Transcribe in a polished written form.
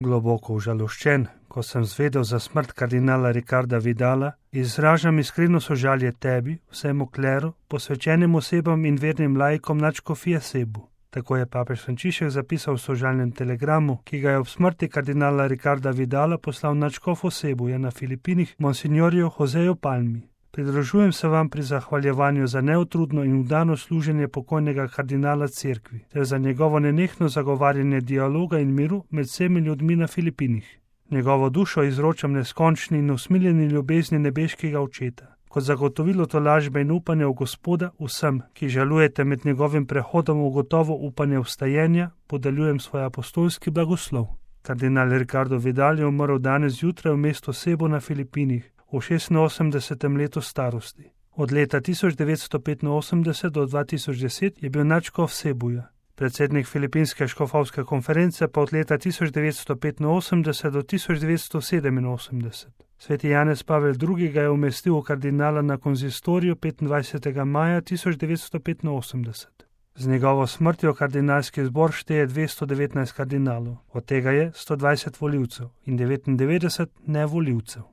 Globoko užaloščen, ko sem zvedel za smrt kardinala Ricarda Vidala, izražam iskreno sožalje tebi, vsemu kleru, posvečenim osebam in vernim laikom nadškofije Cebu. Tako je papež Frančišek zapisal v sožalnem telegramu, ki ga je ob smrti kardinala Ricarda Vidala poslal nadškofu Cebuja na Filipinih monsignorju Joseju Palmi. Pridružujem se vam pri zahvaljevanju za neutrudno in vdano služenje pokojnega kardinala cerkvi ter za njegovo nenehno zagovarjanje dialoga in miru med vsemi ljudmi na Filipinih. Njegovo dušo izročam neskončni in usmiljeni ljubezni nebeškega očeta. Kot zagotovilo tolažbe in upanja v Gospoda vsem, ki žalujete med njegovim prehodom v gotovo upanje vstajenja, podeljujem svoj apostolski blagoslov. Kardinal Ricardo Vidal je umrl danes zjutraj v mestu Cebu na Filipinih v 86. letu starosti. Od leta 1985 do 2010 je bil nadškof Cebuja. Predsednik Filipinske škofovske konference pa od leta 1985 do 1987. Sveti Janez Pavel II. Ga je umestil v kardinala na konzistoriju 25. maja 1985. Z njegovo smrtjo kardinalski zbor šteje 219 kardinalov, od tega je 120 volivcev in 99 nevolivcev.